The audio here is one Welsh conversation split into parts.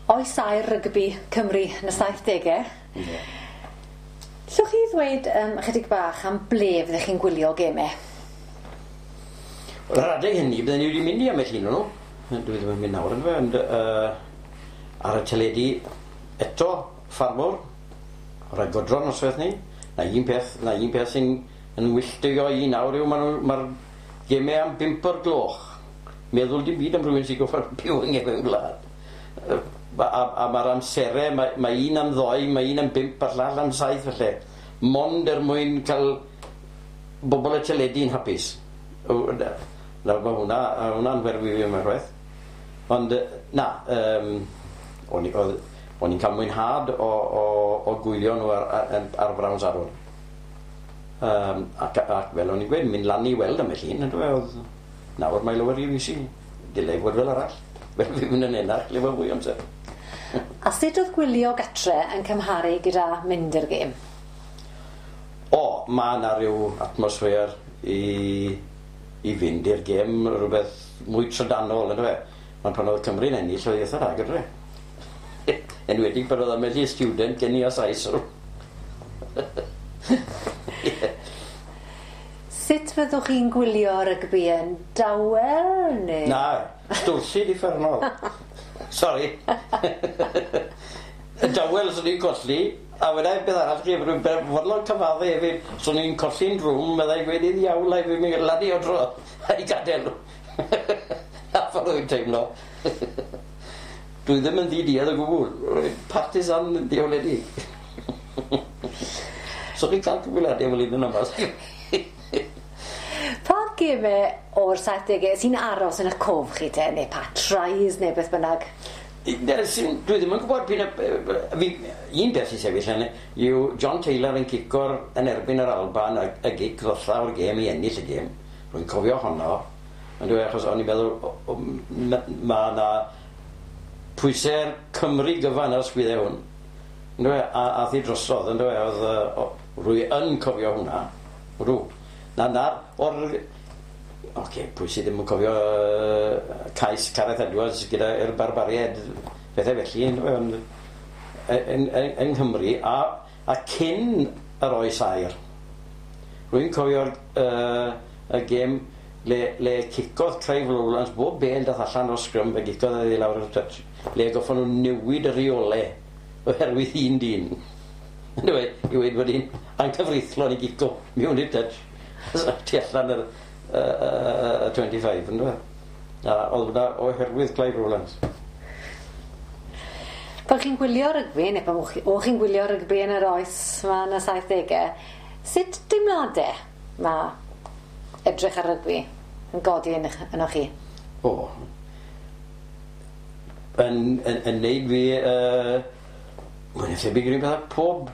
Oes aur rygbi Cymru yn y 70au. Ie. Llwch chi ddweud ychydig bach am ble fyddech chi'n gwylio gemau? Wel, ar adeg hynny, bydden ni wedi mynd i ambell un o'n nhw. Dwi ddim yn mynd nawr, yndyfe, ond ar y teledu eto, ffarmwr, rhai godro noswaith ni. Na un peth, na un peth sy'n yn wylltio i nawr yw maen nhw, mae'r gemau am 5 o'r gloch. Meddwl dim byd am rhywun sy'n goffod byw yng nghefn gwlad. A mae'r amserau, mae un am 2, mae un am 5 a'r llall am 7 falle. Mond er mwyn cael bobl y teledu'n hapus. Nawr mae hwnna'n werfu fi mewn rhywbeth. Ond na, o'n i'n cael mwynhad o gwylio nhw ar Brown Sadwrn. Ac fel o'n i'n gweud, mynd lan i weld ambell un, yndyfe, oedd nawr mae lawer i fi dylai fod fel arall. Fel fi'n mynd yn enach, le mae fwy amser. A sut oedd gwylio gatre yn cymharu gyda mynd i'r gêm? O, mae yna rhyw atmosffer i fynd i'r gêm, rhywbeth mwy trydanol, yndyfe? Ond pan oedd Cymru'n ennill, oedd eitha rhag, yndyfe? Enwedig pan oedd ambell i student gen i o Sais. Sut fyddwch chi'n gwylio rygbi yn dawel, neu? Na, stwrllyd uffernol. Sori. Yn dawel, swn i'n colli, a wedai beth arall chi, rwy'n fodlon cyfadde hefyd, swn i'n colli'n drwm, byddai gweud i ddiawl a fi'n mynd lan i o dro, a'i gadael nhw. Na ffordd wy'n teimlo. Dwi ddim yn ddiduedd o gwbl. Rwy'n partisan diawledig. So chi'n cael cyfweliadau fel un yn yma. Pa gemau o'r 70au sy'n aros yn y cof chi te, neu pa tries neu beth bynnag? Dwi ddim yn gwybod un peth sy'n sefyll yn yw John Taylor yn cico'r yn erbyn yr Alban y gic ddotha o'r gêm i ennill y gêm. Rwy'n cofio honno, ond dwi achos o'n i'n meddwl mae yna pwysau'r Cymru gyfan ar sgwyddau hwn. Yndyfe, a ath hi drosodd, yndyfe, oedd, rwy yn cofio hwnna. Rw. Na, o'r... Oce, pwy sydd ddim yn cofio cais Gareth Edwards gyda'r barbariaid, pethau felly, yndyfe, ond yng Nghymru, a cyn yr oes aur. Rwy'n cofio'r y gêm le cicodd Clive Rowlands bob bêl dath allan o'r sgrym, fe gicodd e i lawr y touch, le goffon nhw newid y rheolau oherwydd un dyn. Yndyfe, i weud bod hi'n anghyfreithlon i gico mewn i'r touch tu allan yr 25, yndyfe? A oedd hwnna oherwydd Clive Rowlands. Pan chi'n gwylio rygbi, neu pan o'ch chi'n gwylio rygbi yn yr oes yma yn y 70au, sut deimladau mae edrych ar rygbi yn godi ynoch chi? O, yn neud fi, mae'n thebyg i'r un peth â pob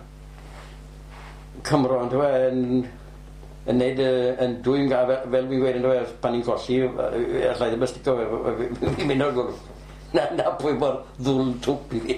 Cymro, yndyfe, yn neud yn dwy'n fel fi'n gweud, yndyfe, pan ni'n colli, allai ddim ystico fe, fi'n mynd o'r gwrdd. Na pwy mor ddwl twp i fi.